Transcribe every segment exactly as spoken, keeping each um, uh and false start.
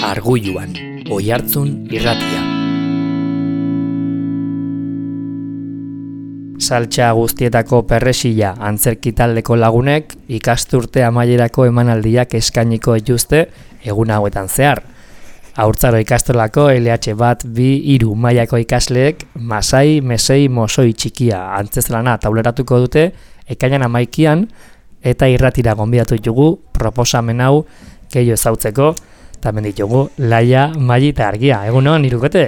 Arguluan, Oihartzun irratia. Saltsa guztietako perresila antzerki taldeko lagunek ikasturte amaierako emanaldiak eskainiko dituzte egun hauetan zehar. Haurtzaro ikastolako L H bat bi hiru mailako ikasleek Masai Mesei Mosoi txikia antzezlana tauleratuko dute ekainan hamaikian eta irratira gonbidatu ditugu proposamen hau gehiago ezautzeko. Tamen ditugu Laia, Maili eta Argia. Egunon, hirukote?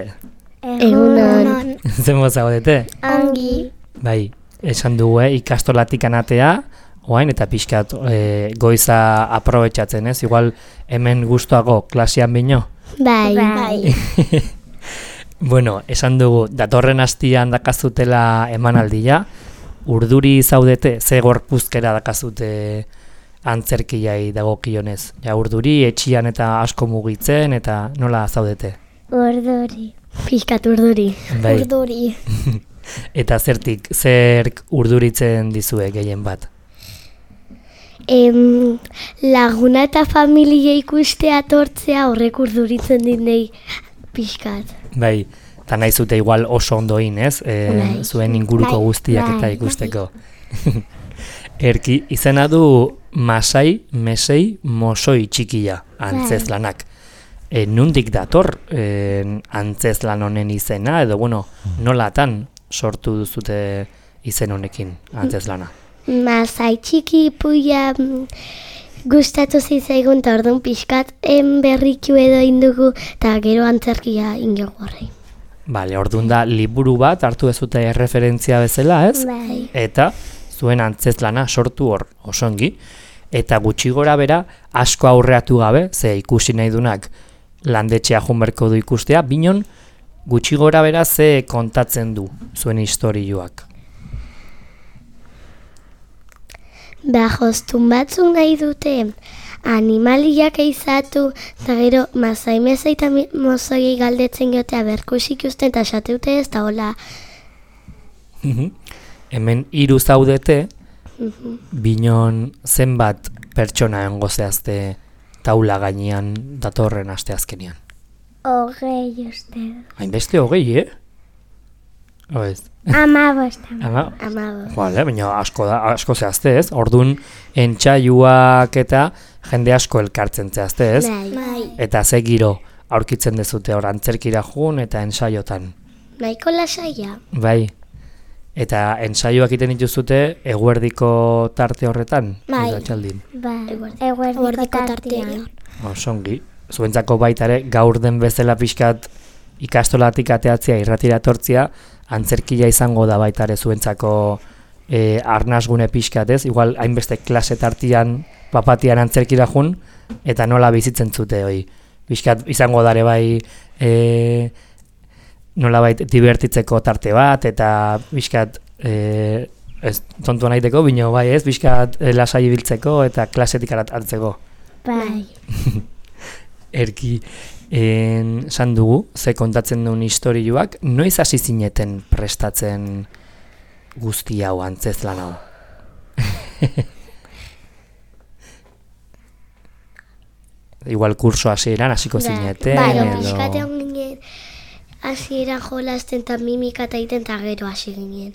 Egunon. Zen moza godete? Ongi. Bai, esan dugu, eh, ikastolatik anatea, oain eta pixkat e, goiza aprobetxatzen, ez? Igual hemen gustuago klasean bino? Bai. Bai. Bueno, esan dugu, datorren hastian dakazutela emanaldia, urduri zaudete, ze gorpuzkera dakazute antzerkiai dagokionez. Ja, urduri, etxian eta asko mugitzen, eta nola zaudete? Urduri. Pixkat urduri. Bai. Urduri. Eta zertik, zer urduritzen dizue gehien bat? Em, laguna eta familia ikustea tortzea horrek urduritzen dinei pixkat. Bai, eta nahi zute igual oso ondoin, ez? E, Bai. Zuen inguruko Bai. guztiak eta Bai. ikusteko. Erki, izena du Masai Mesei Mosoi txikia antzezlanak. E, nundik dator e, antzezlan honen izena, edo bueno, nolatan sortu duzute izen honekin antzezlana? Masai txiki puia mm, gustatu zitzaigun eta orduan pixkat en berriku edo indugu eta gero antzerkia ingogu horrein. Bale, orduan da liburu bat hartu ezute erreferentzia bezala, ez? Bai. Eta zuen antzezlana sortu hor osongi, eta gutxi gora bera asko aurreatu gabe, ze ikusi nahi dunak landetxea junberko du ikustea, binon gutxi gora bera ze kontatzen du zuen istorioak. Ba, jostun batzuk nahi dute animaliak eizatu, eta gero Masai Mesei eta Mosoiei galdetzen jotea berkusik usten eta esateute ez, eta hola. Hemen hiru zaudete, binon zenbat pertsona engo zehazte taula gainean datorren asteazkenean. Hogei uste. Hainbeste hogei, eh? Oez. Amabost. Ama, Amabost. Vale, baina asko da, asko zehazte, ez? Ordun entxaiuak eta jende asko elkartzen zehazte, ez? Bai. Eta ze giro aurkitzen dezute hor antzerkira jun eta ensaiotan. Nahiko lasaia. Bai. Eta ensaioak egiten dituzute eguerdiko tarte horretan? Bai. Edo atxaldin? Bai. Eguerdiko tartean. Osongi. Zuentzako baita ere gaur den bezala pixkat ikastolatik ateatzea irratira etortzea, antzerkia izango da baita ere zuentzako e, arnasgune pixkat, ez? Igual hainbeste klase tartian papatian antzerkira jun, eta nola bizitzen zute hoi. Pixkat izango dare bai e, nolabait divertitzeko tarte bat, eta pixkat e, ez tontua nahiteko, bino bai ez, pixkat e, lasai ibiltzeko eta klasetik hartzeko. Bai. Erki, en, san dugu, ze kontatzen duen istorioak, noiz hasi zineten prestatzen guzti hau, antzezlan hau? Igual kurso hasieran hasiko zineten, bai, edo... pixkate hon ginen, hasieran jolasten eta mimika eta egiten eta gero hasi ginen.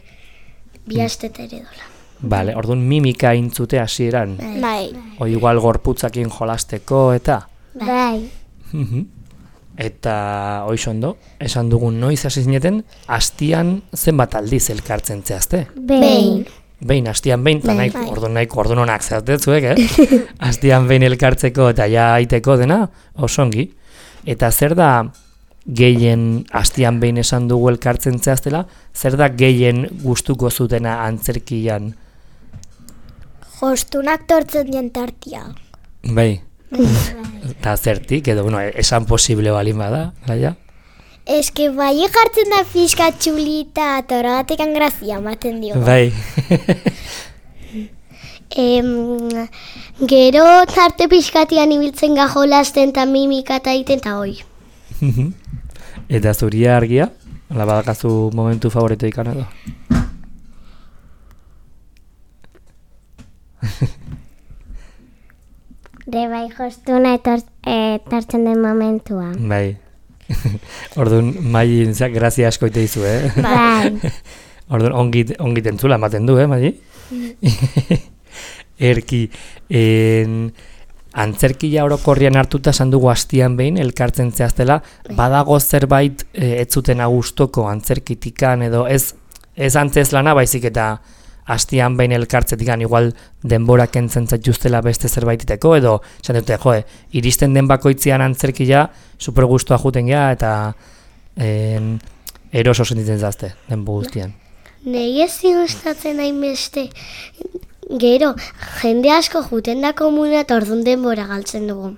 Bi astet ere dola. Vale, orduan mimika intzute hasieran. Bai. O igual gorputzakin jolasteko eta... Bai. Eta hoizondo, esan dugun noiz hasi zineten, hastian zenbat aldiz elkartzen zehazte? Behin. Behin, hastian behin, eta Bai. nahiko, orduan nahiko, orduan honak zehazte zuek, eh? Hastian behin elkartzeko eta ja aiteko dena, osongi. Eta zer da gehien, hastian behin esan dugu elkartzen zehaztela, zer da gehien gustuko zutena antzerkian? Jostunak tortzen dien tartia. Bai. Eta zertik, edo, bueno, esan posible balin bada, Laia? Ez que bai jartzen da pixka txulita eta horregatik grazia ematen dio. Bai. Em, gero tarte pixkatian ibiltzen ga jolasten eta mimika eta egiten eta hoi. Eta zuria Argia? Hala badakazu momentu favorito ikan edo? De bai jostuna etortzen den momentua. Bai. Orduan, mai, grazia asko ite dizu, eh? Bai. Orduan, ongit, ongit entzula ematen du, eh, mai? Erki, en, antzerkia orokorrian hartuta esan dugu hastian behin, elkartzen zehaztela, badago zerbait e, ez zuten agustoko antzerkitikan edo ez, ez antzez lana, baizik eta hastian behin elkartzetikan igual denbora kentzen zaituztela beste zerbaititeko, edo esan dute, joe, iristen den bakoitzian antzerkia super gustua juten gea eta en, eroso sentitzen zazte, denbo guztian. Nei ezin gustatzen hainbeste, gero, jende asko juten da komuna eta orduan denbora galtzen dugu.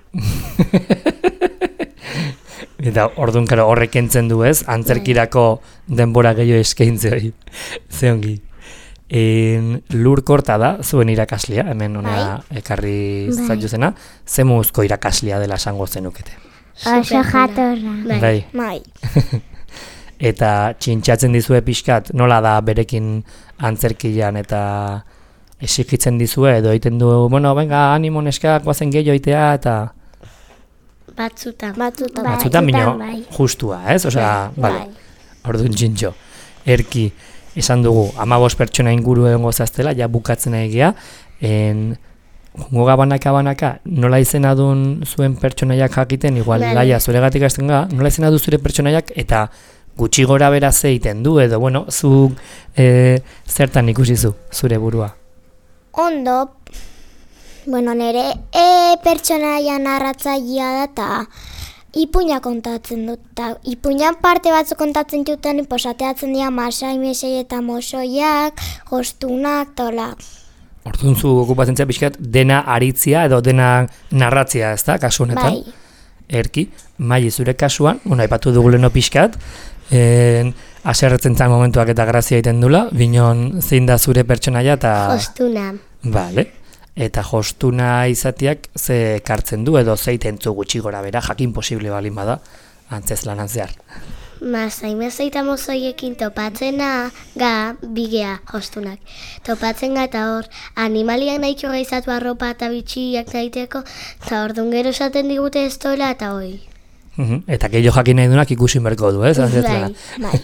Eta orduan karo horrek entzen du ez, antzerkirako denbora gehiago eskaintze hori. Ze ongi. En, Lur Korta da, zuen irakaslia, hemen ona ekarri zaituzena, ze muzko irakaslia dela esango zenukete. Oso jatorra. Bai. Bai. Eta txintxatzen dizue pixkat, nola da berekin antzerkian eta esikitzen dizue, edo egiten du, bueno, venga, animo neskak, guazen gehiago itea, eta Batzutan. Batzutan. batzutan bino bai. justua, ez? Osea, Bai. bale, orduan txintxo. Erki, esan dugu, hamabost pertsona inguru egongo zaztela, ja bukatzen egia, en, jongo gabanaka banaka, nola izena duen zuen pertsonaiak jakiten, igual, Vale. laia, zuregatik hasten ga, nola izena du zure pertsonaiak, eta gutxi gora bera ze egiten du, edo, bueno, zu e, zertan ikusi zu, zure burua. Ondo, bueno, nire e, pertsonaia narratzailea da eta ipuina kontatzen dut. Ta, ipuinan parte batzu kontatzen duten, posateatzen dira masai, mesei eta mosoiak, jostunak, tola. Orduan zu okupatzen zea pixkat dena aritzia edo dena narratzia, ez da, kasu honetan? Bai. Erki, Mai, zure kasuan, bueno, aipatu dugu leno pixkat, en, aserretzen zan momentuak eta grazia egiten dula, binon zein da zure pertsonaia eta... Jostuna. Bale, eta jostuna izatiak ze ekartzen du edo zeitentzu gutxi gora bera, jakin posible balin bada, antzez lanan zehar. Masai, mesei eta mozoiekin topatzena ga bigea jostunak. Topatzen ga eta hor, animaliak nahiko gaizatu arropa eta bitxiak daiteko, eta orduan gero esaten digute ez dola eta hoi. Mhm, eta gehiago jakin nahi dunak ikusi berko du, ez? Bai, bai.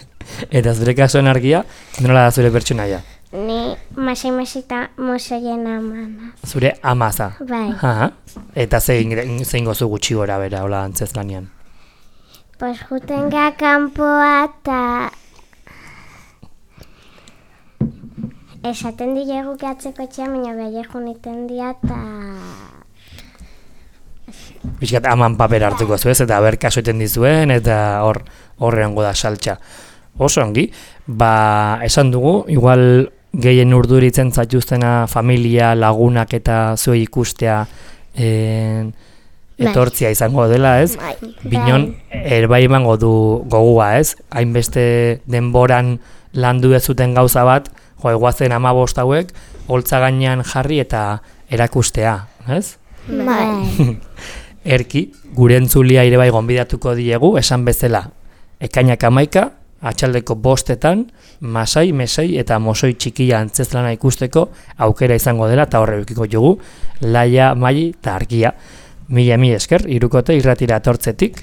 Eta zure kasuan argia, nola da zure pertsonaia? Ni masai, mesei eta mosoien amana. Zure amaza. Bai. Aha. Eta zein, zein gozu gutxi gora bera, hola antzez lanian. Pues juten ga kanpoa eta esaten dilegu gehatzeko etxea, baina behiak juniten dia eta Piskat aman paper hartuko zu ez, eta ber kaso eten dizuen, eta hor horrengo da saltxa. Oso ongi, ba esan dugu, igual gehien urduritzen zaituztena familia, lagunak eta zuei ikustea en, etortzia izango dela, ez? Bai. Binon, erbai emango du gogua, ez? Hainbeste denboran landu ez zuten gauza bat, jo, eguazen hamabost hauek, holtza gainean jarri eta erakustea, ez? bai. Erki, gure entzulia ere bai gonbidatuko diegu, esan bezala, ekainak hamaika, atxaldeko bostetan, masai, mesei eta mosoi txikia antzezlana ikusteko aukera izango dela, eta horre eukiko jugu, Laia, Mai eta Argia. Mila mi esker, irukote irratira atortzetik,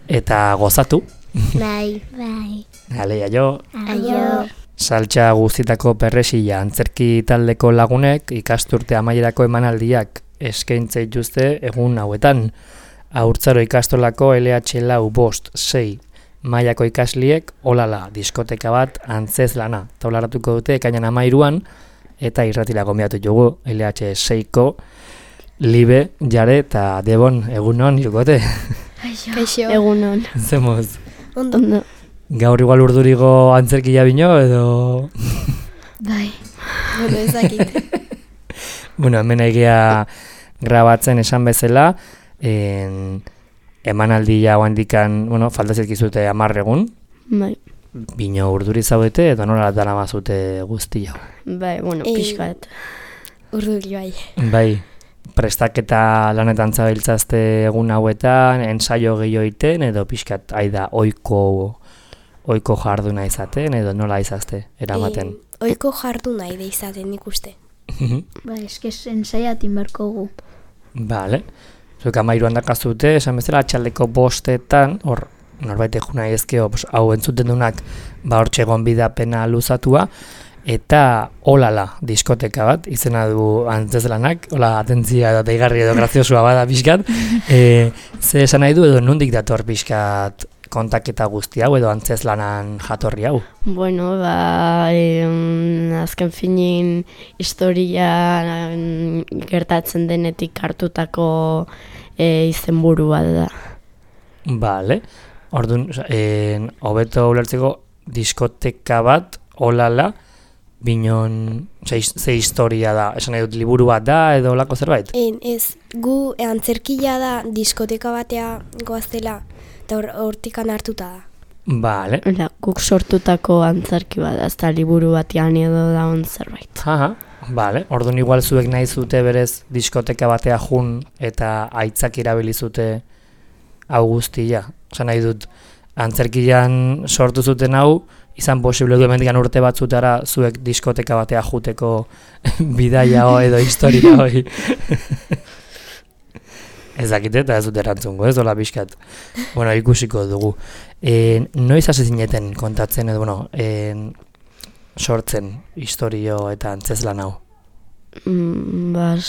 eta gozatu. Bai. Bai. Alea jo, Aio. saltxa guztitako perresila antzerki taldeko lagunek ikasturte amaierako emanaldiak eskaintza dituzte egun hauetan. Haurtzaro ikastolako L H lau bost sei mailako ikasliek olala diskoteka bat antzez lana taularatuko dute ekainan hamairuan, eta irratira gonbidatu dugu L H seiko Libe, Jare eta Debon, egunon irukote. Kaixo. Egunon. Zemoz, Ondo. Ondo. gaur igual urdurigo antzerkia bino edo... Bai. Bueno, ezakit. Bueno, hemen egia grabatzen esan bezala, en, emanaldia handikan, bueno, falta zizkizute hamar egun, Bai. bino urduri zaudete edo nola dara mazute guztia. Bai, bueno, Eh, pixkat. Urduri bai. Bai, prestaketa lanetan zabiltzazte egun hauetan, ensaio gehiago iten, edo pixkat aida oiko, oiko jarduna izaten, edo nola izazte, eramaten. Eh, Oiko jardu nahi da izaten ikuste. Ba, eskez ensaiatin berko gu. Bale. Zuek amairuan dakazute, esan bezala, atxaldeko bostetan, hor, norbait eguna ezkeo, pues, hau entzuten dunak, ba hor txegon bidapena luzatua, eta olala diskoteka bat, izena du antzezlanak, hola atentzia edo deigarri edo graziosua bada pixkat, e, ze esan nahi du edo nondik dator pixkat kontaketa guzti hau edo antzezlanan jatorri hau? Bueno, ba, em, azken finin historia em, gertatzen denetik hartutako e, izenburu bat da. Bale, orduan, en, hobeto ulertzeko diskoteka bat, olala, binon, ze, ze historia da, esan nahi dut liburu bat da edo olako zerbait? En, ez, gu antzerkila da diskoteka batea goaztela, eta hortikan hartuta da. Bale. Ola, guk sortutako antzerki bat, ez da liburu batean edo da on zerbait. Aha, bale. Orduan igual zuek nahi zute berez diskoteka batea jun eta aitzak erabili zute hau guztia. Osa nahi dut, antzerkian sortu zuten hau, izan posible du hemendikan urte batzutara zuek diskoteka batea juteko bidaia ho edo historia hoi. Ez dakite eta ez dut erantzungo, ez dola pixkat. Bueno, ikusiko dugu. E, noiz hasi zineten kontatzen edo, bueno, e, sortzen historio eta antzezlan hau? Mm, bas,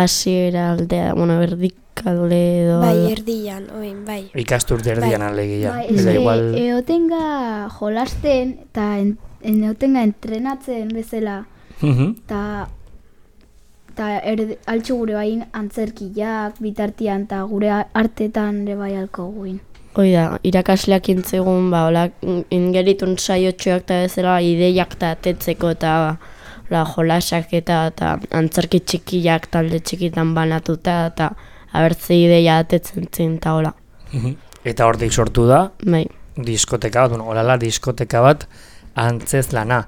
hasiera aldea, bueno, berdikale edo... Bai, erdian, oin, bai. Ikasturte erdian Bai. alegia. Bai, Eta eske igual... eotenga jolasten eta en, en eotenga entrenatzen bezala Mhm. eta eta erde, altxu gure bain antzerkiak bitartian eta gure artetan ere bai alko guin. Hoi da, irakasleak intzegun, ba, hola, ingeritun saiotxoak eta bezala ideiak eta atetzeko eta hola, jolasak eta, eta antzerki txikiak talde txikitan banatuta eta abertze ideia atetzen zen eta hola. Mhm. Eta hortik sortu da, Bai, diskoteka bat, bueno, olala diskoteka bat antzezlana.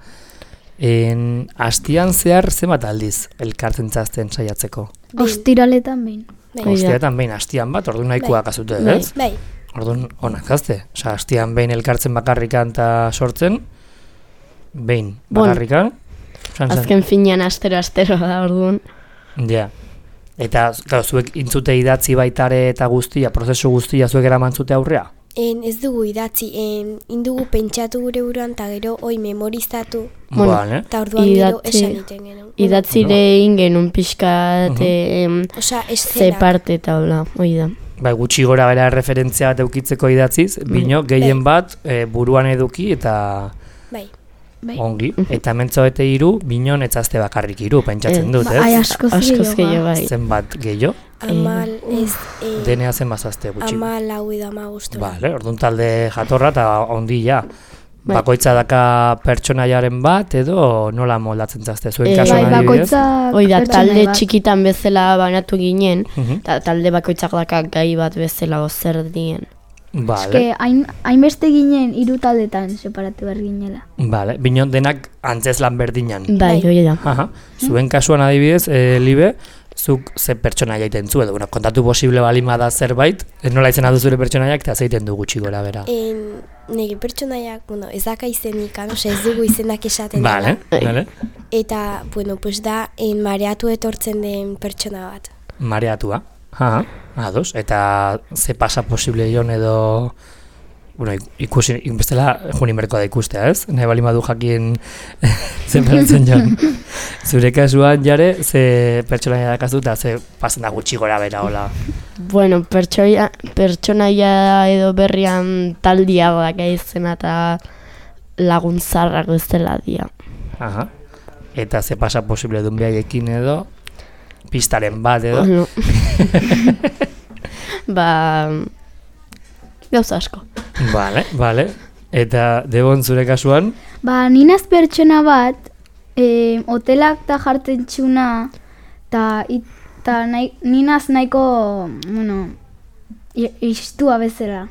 En, astian zehar zenbat aldiz elkartzen zazten saiatzeko? Ostiraletan behin. Bai. Ostiatan behin astian bat, orduan nahikoa kasute, Bai. ez? Bai, Orduan onak zazte. Osa, astian behin elkartzen bakarrikan eta sortzen, behin Bon. bakarrikan. San, san. azken finean astero-astero da orduan. Ja. Eta, claro, zuek intzute idatzi baitare eta guztia, prozesu guztia zuek eraman zute aurrea? en, ez dugu idatzi, en, indugu pentsatu gure buruan, eta gero hoi memorizatu, Bueno, Vale. eta orduan gero Idatzi- esan iten genuen. Idatzire egin genuen pixkat Mhm. em, Osea, ze eszenak. parte eta hola, hoi da. Bai, gutxi gora bera referentzia bat eukitzeko idatziz, bino gehien bat e, buruan eduki eta Bai, Bai. ongi. Eta mentzoete hiru, binon etzazte bakarrik hiru, pentsatzen Ez. dut, Ba, ai, ez? askoz Askoz gehiago. gehiago bai. Zenbat gehiago, amal, ez, eh, denea zen bazazte gutxi. amal hau edo ama guztu. Vale, orduan talde jatorra eta ondila. Bai. Bakoitza daka pertsonaiaren bat edo nola moldatzen zazte zuen Eh, kasuan Bai, adibidez? bakoitza Hoi da, pertsonai talde bat. txikitan bezala banatu ginen, Mhm. eta talde bakoitzak daka gai bat bezala ozer dien. Vale, Eske hain, hainbeste ginen hiru taldetan separatu behar ginela. vale. Binon denak antzezlan berdinan. Bai, hoi da. Aha. Zuen kasuan adibidez, e, Libe, zuk ze pertsonaia egiten zu, edo bueno, kontatu posible balima da zerbait, ez nola izena du zure pertsonaiak, eta zeiten du gutxi gora bera. En, nire pertsonaiak, bueno, ez daka izenik, osea ez dugu izenak esaten Vale, dela. vale. Eta, bueno, pues da, en mareatu etortzen den pertsona bat. Mareatua. Aha, ados. Eta ze pasa posible jon edo... Bueno, ik- ikusi, ik- bestela juni merko da ikustea, ez? Nahi bali madu jakin ze pasatzen jon. Zure kasuan jare, ze pertsonaia dakazu eta ze pasan da gutxi gora bera, hola. Bueno, pertsoia, pertsonaia edo berrian taldia daka izena eta laguntzarrak bezala dia. Aha. Eta ze pasa posible dun behaiekin edo, pistaren bat edo. Bueno. Ba, gauza asko. Vale, vale. Eta Debon zure kasuan, Ba, ninaz pertsona bat, eh, hotelak ta jartzen txuna, eta ta nahi, ninaz nahiko, bueno, i- istua bezala,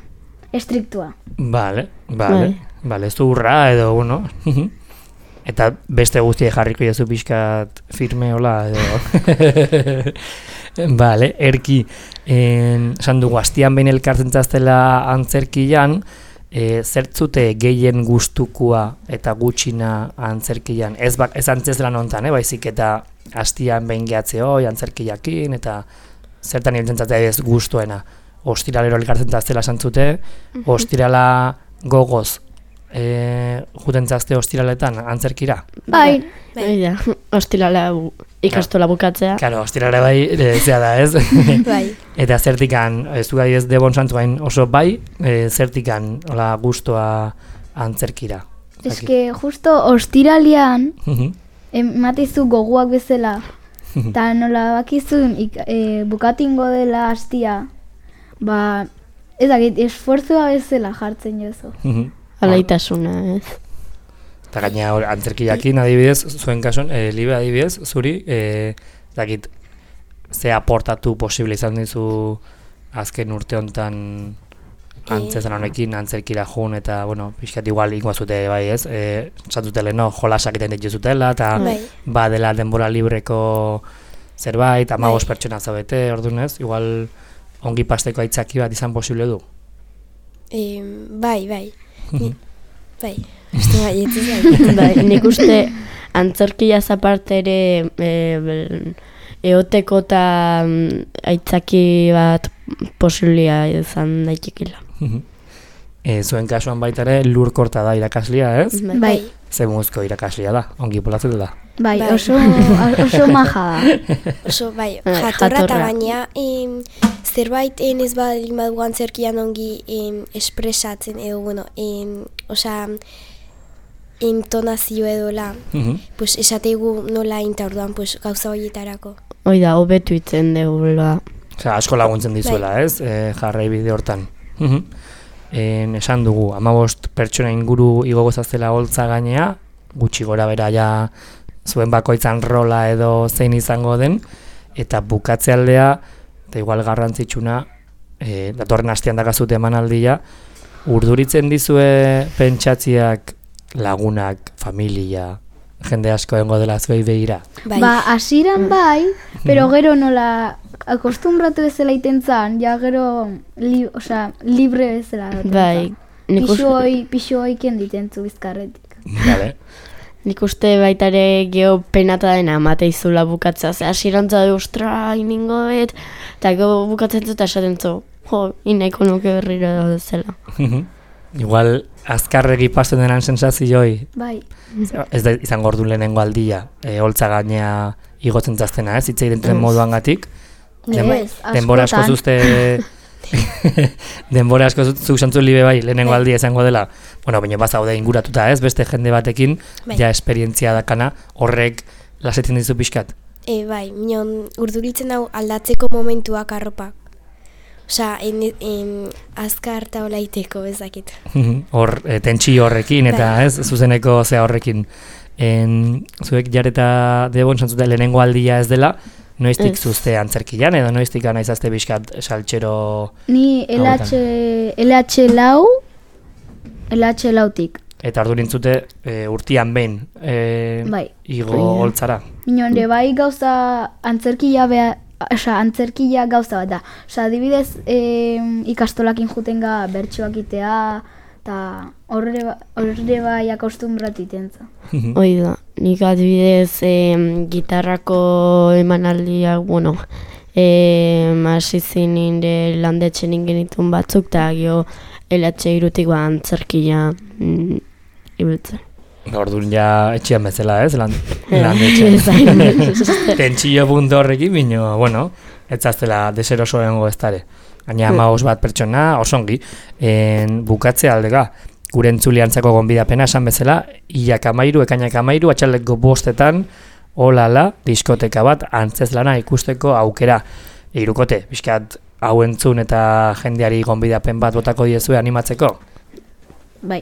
estriktua. vale, vale. Bai. Vale, ez du urra edo, bueno. Eta beste guztiek jarriko jazu pixkat firme hola edo. Vale, erki, en, esan dugu, astian behin elkartzen zaztela antzerkian, E, zertzute gehien gustukoa eta gutxina antzerkian, ez, ba, ez antzezlan hontan, eh, baizik eta hastian behin gehatze hoi, antzerkiakin, eta zertan hiltzen zatea ez gustuena. Ostiralero elkartzen zaztela santzute, ostirala gogoz, e, juten zazte ostiraletan antzerkira. Bai, Bai, ja, ostirala bu- ikastola bukatzea. Karo, ostirale bai, e, zea da ez? Bai. Eta zertikan, ez du gai ez Debon Santzuain oso bai, e, zertikan hola gustoa antzerkira. eske justo ostiralian ematizu goguak bezala, eta nola bakizun ik, e, bukatingo dela hastia, ba, ez dakit, esfortzua bezala jartzen jozu. Alaitasuna, ez. Eta gaina hor, antzerkiakin adibidez, zuen kason, e, libe adibidez, zuri, e, dakit, ze aportatu posible izan dizu azken urte honetan antzezan honekin, antzerkira jun, eta, bueno, pixkat igual ingoazute bai ez, e, satutele, no, jolasak iten dituzutela, eta Bai. badela denbora libreko zerbait, amabos pertsona zaudete, ordunez, igual ongi pasteko aitzaki bat izan posible du. E, bai, bai. Ni, bai. Uste bai, ez bai. Bai, nik uste antzerkiaz aparte ere e, bel- eoteko eta mm, aitzaki bat posiblia izan daitekela. E, zuen kasuan baita ere lurkorta da irakaslia, ez? Bai, Ze muzko irakaslia da, ongi polatzen da. bai, Bai. oso, oso maja da. Oso, bai, Eh, jatorra eta jatorra. gaina em, zerbait en ez baldin badugu antzerkian ongi em, espresatzen edo, bueno, em, osea, intonazio edola, pues esateigu nola inta orduan, pues gauza horietarako. Hoi da, hobetu itzen degula. Osea, asko laguntzen dizuela, ez? E, jarrai bide hortan. En, esan dugu, amabost pertsona inguru igogozazela holtza gainea, gutxi gora bera ja zuen bakoitzan rola edo zein izango den, eta bukatze aldea, eta igual garrantzitsuna, e, datorren hastean dakazute emanaldia, urduritzen dizue pentsatziak lagunak, familia, jende asko egongo dela zuei begira. Bai, Ba, hasieran bai, pero gero nola akostumbratu bezala iten zan, ja gero li, osea, libre bezala. egoten Bai, zan. nik Pixu uste, hoi, pixu hoi kenditen zu bizkarretik. Vale. nik uste baita ere geho penata dena amateizula bukatzea. Ze hasierantza da, ostra, iningo bet, eta geho bukatzen zu eta esaten zu, jo, inaiko nuke berriro zela. Igual, azkarregi pasten denan sensazioi, Bai, ez da izango ordu lehenengo aldia, e, holtza gainea igotzen zaztena, ez? Hitz egiten moduan gatik. ez, Denbora asko askotan. zuzte... denbora asko zuk santzu libe bai, lehenengo aldia izango dela. Bueno, baina bazaude inguratuta, ez? Beste jende batekin, Bai. ja esperientzia dakana, horrek lasetzen dizu pixkat. e, bai, minon urduritzen hau aldatzeko momentuak arropak. Osea, en, en, azkar eta hola iteko, ezakit. Hor, e, tentsio horrekin, eta Bai. ez, zuzeneko zea horrekin. En, zuek jareta Debon santzute lehenengo aldia ez dela, noiztik Ez. zuzte antzerkian, edo noiztik anaizazte pixkat saltxero... Ni L H, L H lau, L H lautik. Eta ordu nintzute e, urtian behin e, Bai. igo Bai. holtzara. Minonde bai gauza antzerkia beha, osea, antzerkia gauza bat da. Osea, adibidez e, ikastolakin juten ga bertsoak itea, eta horre, ba- horre bai akostumbratu itenza. Hoi da, nik adibidez em, gitarrako emanaldiak, bueno, em, hasi zinin de landetxen ingenitun batzuk, eta gio L H irutik ba antzerkia mm, ibiltzen. Orduan ja etxean bezala, ez? Lan, Ez landetxean. Tentsio puntu horrekin, bino, bueno, ez zaztela deseroso egongo ez dare. Gaina hamabost bat pertsona, osongi, en, bukatze aldega. Gure entzuliantzako gonbidapena esan bezala, hilak amairu, ekainak amairu, atxaleko bostetan, olala, diskoteka bat, antzezlana ikusteko aukera. Hirukote, pixkat hau entzun eta jendeari gonbidapen bat botako diezue animatzeko. Bai.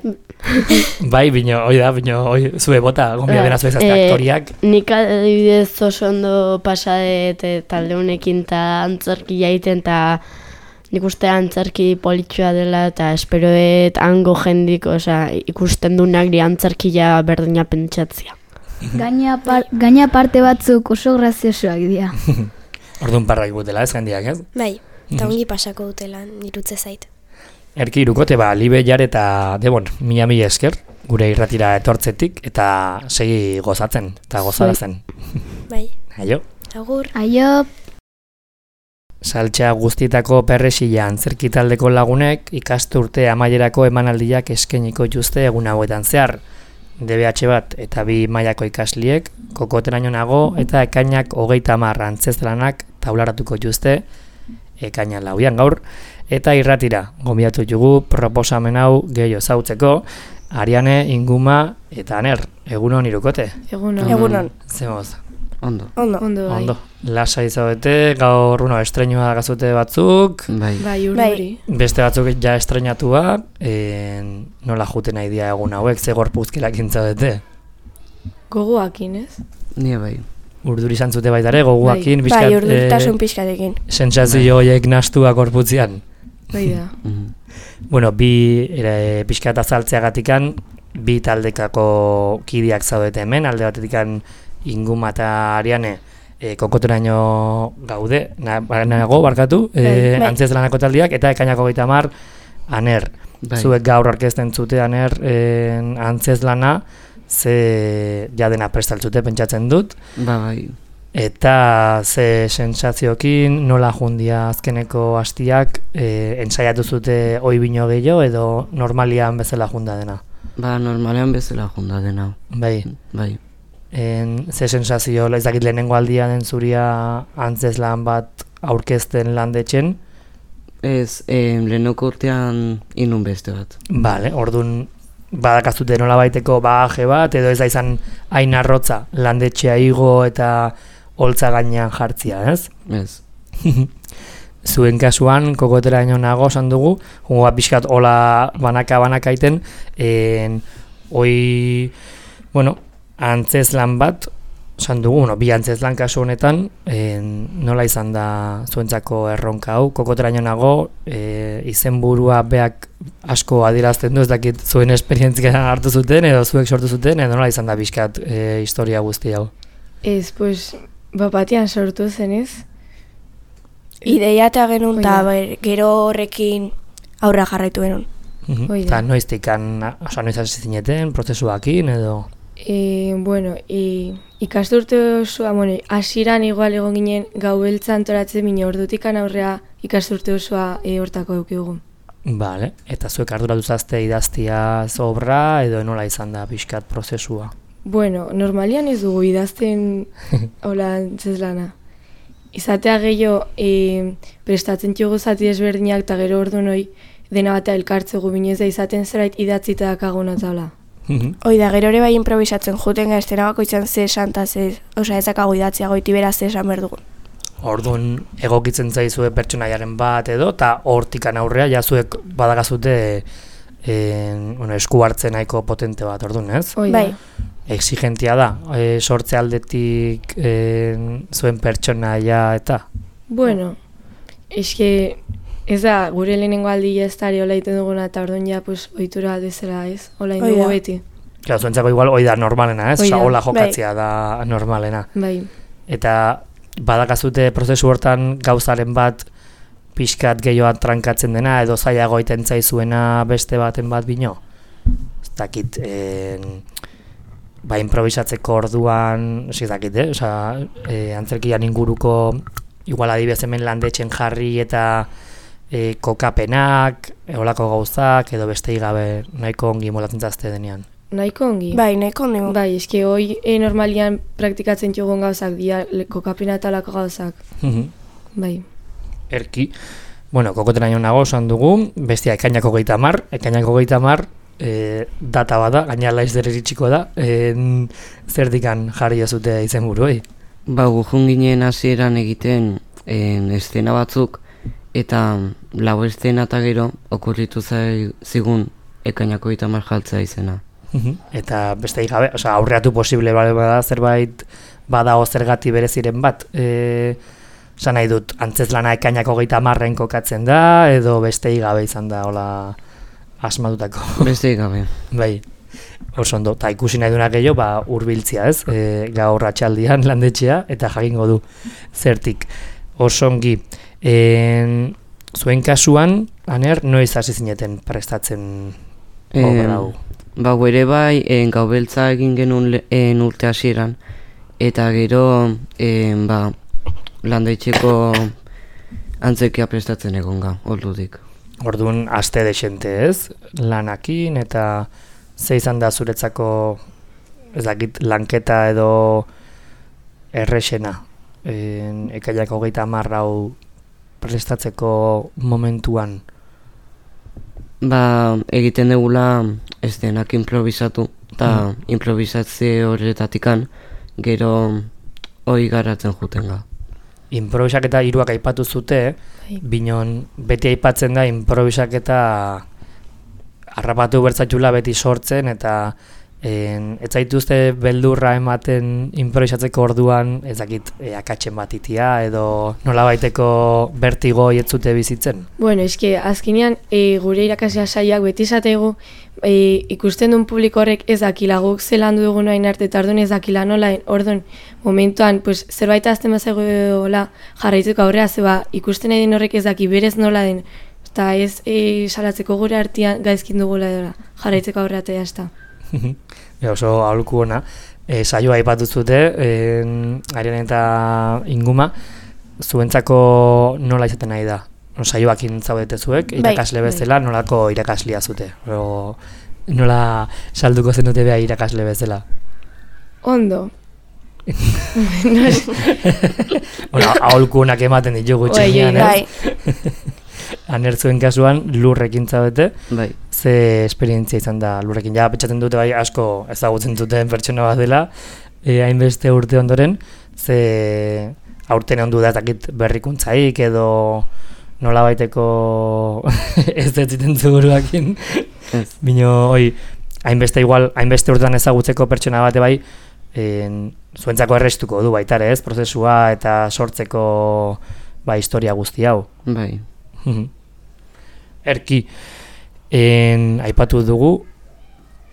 Bai, bino, hoi da, bino, hoi, zue bota, gonbidapena zue zazte Eh, aktoriak. Nik adibidez oso ondo pasadet e, talde honekin eta antzerki jaiten, eta nik uste antzerki politxua dela, eta esperoet hango jendik, osea, ikusten dunak di antzerkia berdina pentsatzia. Gaina, par, gaina parte batzuk oso graziosoak dira. Orduan parra ikutela ez jendiak, ez? Bai, eta ongi pasako dutela, nirutze zait. Erki irukote, ba, Libe jar eta Debon, mila mila esker, gure irratira etortzetik, eta segi gozatzen, eta gozarazen. Bai. Aio. Agur. Aio, Saltxa guztietako perresila antzerki taldeko lagunek ikasturte amaierako emanaldiak eskainiko dituzte egun hauetan zehar. D B H bat eta bi mailako ikasliek, kokoteraino nago eta ekainak hogeita hamar antzezlanak taularatuko dituzte ekaina lauian gaur, eta irratira gonbidatu dugu proposamen hau gehiago zautzeko, Ariane, Inguma eta Aner, egunon irukote. Egunon. Egunon. Zemoz. Ondo. Ondo. Ondo, bai. Ondo. Lasa izaudete, gaur uno estreinua gazute batzuk, Bai. Bai, urduri. beste batzuk ja estreinatua, en, nola juten nahi dia egun hauek, ze gorpuzkilak intzaudete. Gogoakin, ez? Ni bai. Urduri zantzute baitare, goguakin, Bai, bizkat, bai urduritasun pixkatekin. sentsazio horiek nastua gorputzean. Bai da. Mhm. Bueno, bi ere, pixkat azaltzeagatikan, bi taldekako kideak zaudete hemen, alde batetikan Inguma eta Ariane e, kokoteraino gaude, na, nago barkatu, e, Bai, bai. antzezlanako taldiak, eta ekainako gehieta hamar, Aner. Bai. Zuek gaur orkesten zute Aner en, antzezlana, ze jadena prestaltzute pentsatzen dut, Ba, bai. eta ze sensaziokin nola jundia azkeneko hastiak e, ensaiatu zute oi bino gehiago edo normalian bezala junda dena. Ba, normalean bezala junda dena. Bai. Bai. En, ze sensazio, ez dakit lehenengo aldia den zuria antzezlan bat aurkezten landetxen. Ez, eh, lehenoko urtean inun beste bat. Bale, orduan badakazute nola baiteko bagaje bat, edo ez da izan hain arrotza landetxea igo eta holtza gainean jartzia, ez? Ez. Zuen kasuan, kokoteraino nago esan dugu, jungo bat pixkat hola banaka-banaka iten, en, oi, bueno, antzezlan bat, esan dugu, bueno, bi antzezlan kasu honetan, en, nola izan da zuentzako erronka hau, kokoteraino nago, e, izenburua beak asko adierazten du, ez dakit zuen esperientzia hartu zuten, edo zuek sortu zuten, edo nola izan da pixkat e, historia guzti hau. Ez, pues, bapatian sortu zenez. Ideia eta genuen, eta gero horrekin aurra jarraitu genuen. Hoi da. Eta noiztikan, oza, noiz hasi zineten, prozesuakin, edo... E, bueno, e, ikasturte osoa, bueno, hasieran igual egon ginen gau beltza antoratzen mine ordutikan aurrea ikasturte osoa e, hortako eukigu. Bale, eta zuek arduratu zazte idaztia obra, edo nola izan da pixkat prozesua? Bueno, normalian ez dugu idazten hola antzezlana. Izatea gehiago e, prestatzen txugu zati ezberdinak eta gero ordu noi dena batea elkartzegu binez da izaten zerbait idatzita dakaguna taula. Hoi da, gero ere bai improvisatzen juten ga estena bakoitzan ze esan eta ze, oza, ezakago idatzia goiti beraz ze esan behar dugun. Orduan egokitzen zaizue pertsonaiaren bat edo, eta hortikan aurrea jazuek badagazute en, bueno, esku hartzen nahiko potente bat, orduan, ez? Hoi da. Bai. Exigentia da, e, sortze aldetik en, zuen pertsonaia eta? Bueno, eske ez da, gure lehenengo aldi ez da hola egiten duguna eta orduan ja, pues, ohitura bezala ez, hola Hoi indugu da. beti. Claro, zuentzako igual hoi da normalena, ez? Hoi da. Osa, hola jokatzea da normalena. Bai. Eta badakazute prozesu hortan gauzaren bat pixkat gehiago trankatzen dena, edo zailago egiten zaizuena beste baten bat bino? Ez dakit, en, ba, improvisatzeko orduan, ez dakit, eh? Osa, e, antzerkian inguruko, igual adibidez hemen landetxen jarri eta e, kokapenak, eolako gauzak, edo beste gabe nahiko ongi molatzen zazte denean. Nahiko ongi. Bai, nahiko ondi. Bai, eske hoi e, normalian praktikatzen txugun gauzak, dia le- kokapena eta lako gauzak. Bai. Erki, bueno, kokoteraino nago esan dugu, bestia ekainako gehieta hamar, ekainako gehieta hamar, e, data bada, gaina laizder iritsiko da, en, zerdikan jarri jozute izen buruei. Ba, gujun ginen hasieran egiten en, estena batzuk, eta lau estena eta gero okurritu zai, zigun ekainako eta marjaltzea izena. Eta beste gabe, osea, aurreatu posible bale bada zerbait badago zergati bereziren bat. E, Osa nahi dut, antzezlana ekainako gehieta hamarren kokatzen da, edo beste gabe izan da, hola, asmatutako. Beste gabe. Bai, oso ondo, eta ikusi nahi dunak gehiago, ba, hurbiltzia ez, e, gaur atxaldian landetxea, eta jakingo du zertik. Oso ongi. En, zuen kasuan, Aner, noiz hasi zineten prestatzen obra hau? Ba, ere bai, en, gaubeltza egin genuen en, urte hasieran, eta gero, en, ba, landaitxeko antzerkia prestatzen egonga, ordutik. Orduan, aste desente ez, lanakin, eta ze izan da zuretzako, ez dakit, lanketa edo errexena, en, ekaiak hogeita hamar hau prestatzeko momentuan? Ba, egiten degula eszenak improvisatu, eta mm. improvisatze horretatikan gero hoi garatzen juten ga. Improvisaketa hiruak aipatu zute, binon beti aipatzen da improvisaketa harrapatu bertzatxula beti sortzen, eta en, ez zaituzte beldurra ematen improvisatzeko orduan, ez dakit, e, akatzen bat itia, edo nolabaiteko bertigo jetzute bizitzen? Bueno, eske, azkenean e, gure irakaslea saiak beti esategu e, ikusten duen publiko horrek ez dakila guk zelan dugun hain arte, eta orduan ez dakila nola, orduan momentuan pues, zerbait azten bazegoela jarraitzeko aurrea, zeba ikusten nahi den horrek ez daki berez nola den, eta ez e, salatzeko gure artean gaizkin dugula edola, jarraitzeko aurrea eta jazta. Ja, oso aholku ona. E, saioa aipatu zute, en, Ariane eta Inguma, zuentzako nola izaten nahi da? No, saioakin zaudete zuek, irakasle bezala, nolako irakaslia zute? O, nola salduko zenute beha irakasle bezala? Ondo. Bueno, aholku onak ematen ditugu txenean, ez? Aner zuen kasuan lurrekin zaudete, bai. Ze esperientzia izan da lurrekin. Ja, pentsatzen dute bai asko ezagutzen duten pertsona bat dela, e, hainbeste urte ondoren, ze aurten ondu da ezakit berrikuntzaik edo nolabaiteko ez detziten zuguruakin. Bino, oi, hainbeste igual, hainbeste urtean ezagutzeko pertsona bate bai, en, zuentzako errestuko du baitare ez, prozesua eta sortzeko ba, historia guzti hau. Bai. Erki, en, aipatu dugu,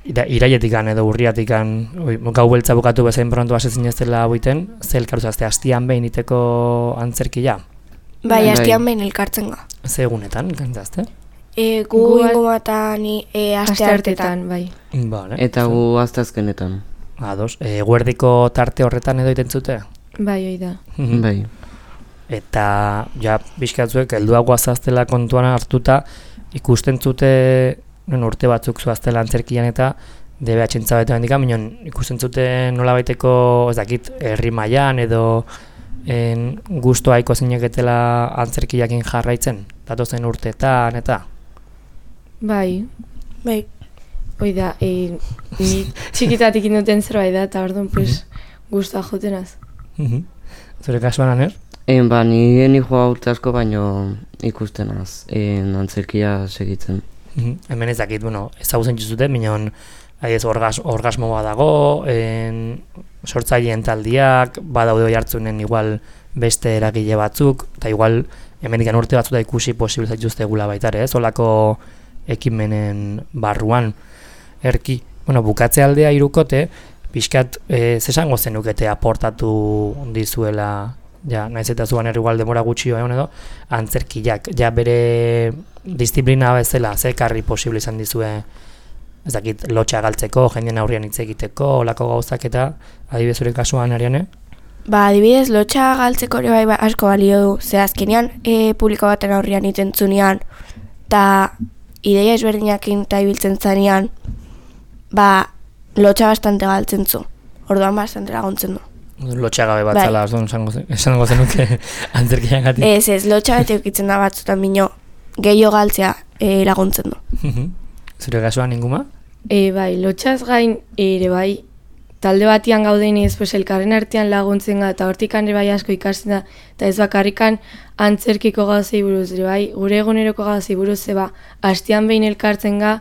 ira, irailetikan edo urriatikan, oi, gau beltza bukatu bezain pronto asetzin ez dela buiten, ze elkartuzazte, hastian behin iteko antzerkia? Bai, hastian behin elkartzen ga. Ze egunetan, kantzazte? E, gu ingoma eta ni e, aste hartetan, bai. Vale. Eta gu aztazkenetan. Ados, e, guerdiko tarte horretan edo itentzute? Bai, oi da. Bai. Eta, ja, bizkatzuek, helduago azaztela kontuan hartuta, ikusten zute, non, urte batzuk zuaztela antzerkian eta D B H entzabetu handika, minon ikusten zute nolabaiteko, ez dakit, herri mailan edo en, gustoa iko zineketela antzerkiakin jarraitzen, datozen urteetan eta? Bai. Bai. Hoi da, e, ni txikitatik induten zerbait da, eta orduan, pues, gustoa jotenaz. Zure kasuan, Aner? En, ba, ni ni joa urte asko baino ikustenaz, en, antzerkia segitzen. Hemen ez dakit, bueno, ezagutzen zuten, minon, ez orgas, orgasmo badago, en, sortzaileen taldiak, badaude hoi hartzunen igual beste eragile batzuk, eta igual hemen ikan urte batzuta ikusi posibil zaituzte gula baitare, ez, olako ekimenen barruan. Erki, bueno, bukatze aldea irukote, pixkat, e, zesango zenukete aportatu dizuela, ja, naiz eta zuan igual demora gutxi egon edo, antzerkiak, ja bere disiplina bezala, ze karri posible izan dizue, ez dakit, lotxa galtzeko, jendien aurrian hitz egiteko, olako gauzak eta, adibidez zure kasuan, Ariane? Ba, adibidez, lotxa galtzeko ere bai, bai asko balio du, ze azkenean e, publiko baten aurrian itentzunean, eta ideia ezberdinakin eta ibiltzen zanean, ba, lotxa bastante galtzen zu, orduan bastante laguntzen du. Lotxagabe bat zala, bai. Esango zenuke antzerkian gati. Ez, ez, lotxa bat eukitzen da batzutan bino, gehiago galtzea e, laguntzen du. Zure kasuan Inguma? E, bai, lotxaz gain ere bai, talde batian gaudenez, pues, elkarren artean laguntzen ga, eta hortikan ere bai asko ikasten da, eta ez bakarrikan antzerkiko gauzei buruz, ere bai, gure eguneroko gauzei buruz, zeba, hastian behin elkartzen ga,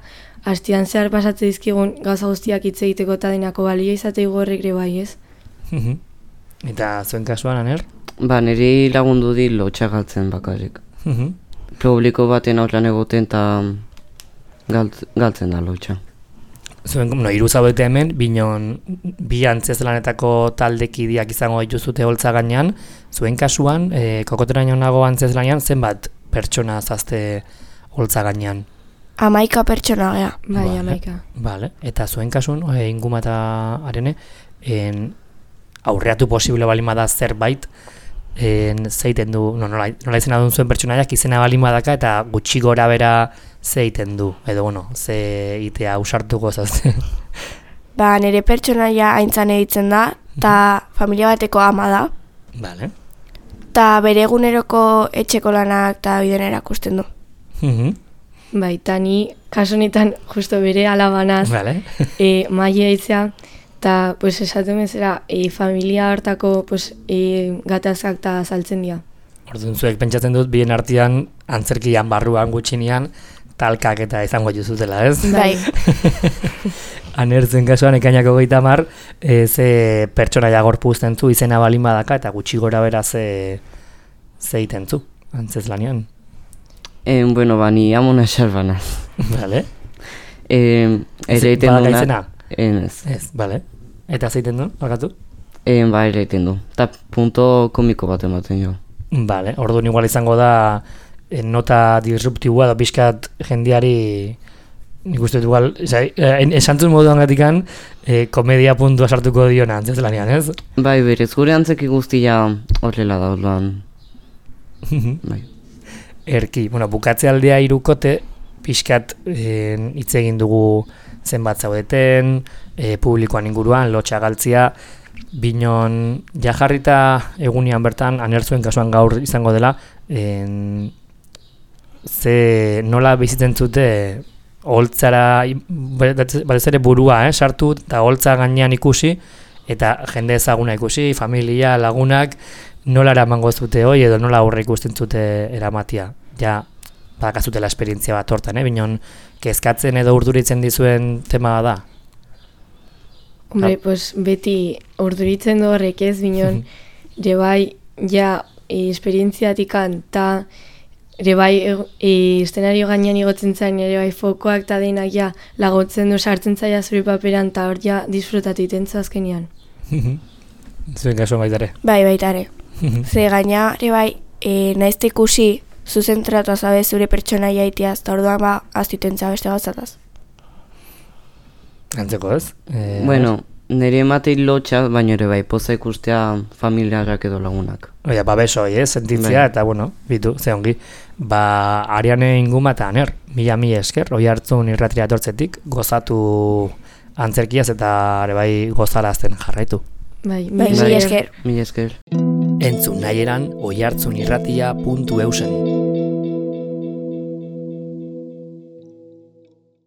hastian zehar pasatze dizkigun gauza guztiak hitz egiteko eta denako balio izate horrek ere bai, ez? Eta zuen kasuan, Aner? Ba, niri lagundu di lotxa galtzen bakarrik. Publiko baten aurlan egoten eta galt, galtzen da lotxa. Zuen, no, hiru zaudete hemen, binon bi antzezlanetako taldekideak izango dituzute holtza gainean, zuen kasuan, e, kokoteraino nago antzezlanean, zenbat pertsona zazte holtza gainean? Hamaika pertsona gea. Bai, Vale. hamaika. Vale. Eta zuen kasun, e, ingumata arene, en, aurreatu posible balin bada zerbait, en, zeiten du, no, nola, nola izena duen zuen pertsonaiak izena balin badaka eta gutxi gora bera zeiten du, edo bueno, ze itea ausartuko zazte. Ba, nire pertsonaia aintzan editzen da, eta familia bateko ama da, Vale. eta bere eguneroko etxeko lanak eta bideen erakusten du. Mhm. Bai, eta ni kasu honetan justo bere alabanaz Vale. e, maia itzea, eta pues, esaten bezala e, familia hartako pues, e, gatazkak eta saltzen dira. Orduan zuek pentsatzen dut bien artean antzerkian barruan gutxinean talkak eta izango juzutela, ez? Bai. Anertzen kasuan ekainako goita mar, e, ze pertsonaia gorpuzten zu izena balin badaka eta gutxi gora bera ze zeiten zu, antzez lanean. Eh, bueno, ba, ni amona xarbana. Vale. Eh, ere egiten Badaka duna... izena? Ez. Ez, vale. Eta zeiten du, bakatu? Eh, ba, ere egiten du. Eta punto komiko bat ematen jo. Vale, orduan igual izango da eh, nota disruptibua da pixkat jendiari nik uste dut igual, esantzun moduan gatikan eh, komedia puntua sartuko diona antzez lanean, ez? Bai, berez, gure antzeki guztia horrela da, orduan. Bai. Erki, bueno, bukatze aldea irukote, pixkat eh, hitz egin dugu zenbat zaudeten, eh, publikoan inguruan, lotxa galtzia, binon jajarrita egunean bertan, anertzuen kasuan gaur izango dela, en, ze nola bizitzen zute holtzara, batez ere burua, eh, sartu, eta holtza gainean ikusi, eta jende ezaguna ikusi, familia, lagunak, nola eramango zute hoi, edo nola aurre ikusten zute eramatia. Ja, badakazutela esperientzia bat hortan, eh? Binon, kezkatzen edo urduritzen dizuen tema da? Hombre, pues beti urduritzen du horrek ez, binon, ere bai, ja, e, esperientziatikan, eta ere bai, e, eszenario gainean igotzen zain, ere bai, fokoak eta denak ja, lagotzen du sartzen zaila zure paperan, eta hor ja, disfrutatu itenzu azkenean. Zuen kasuan baitare. Bai, baitare. Ze gaina, ere bai, e, naizte ikusi, zuzentratu azabe zure pertsonaia itiaz, eta orduan ba, aztitentza beste gauzataz. Antzeko ez? Eh, Bueno, nire ematei lotxa, baina ere bai, poza ikustea familiarrak edo lagunak. Oia, babeso, eh, sentitzea, Bai. eta bueno, bitu, ze ongi. Ba, Ariane inguma eta aner, mila mila esker, oi hartzun irratira etortzetik, gozatu antzerkiaz eta ere bai gozarazten jarraitu. Bai, Bai, mila esker. Mila esker. Entzun nahi eran oihartzunirratia puntu eusen.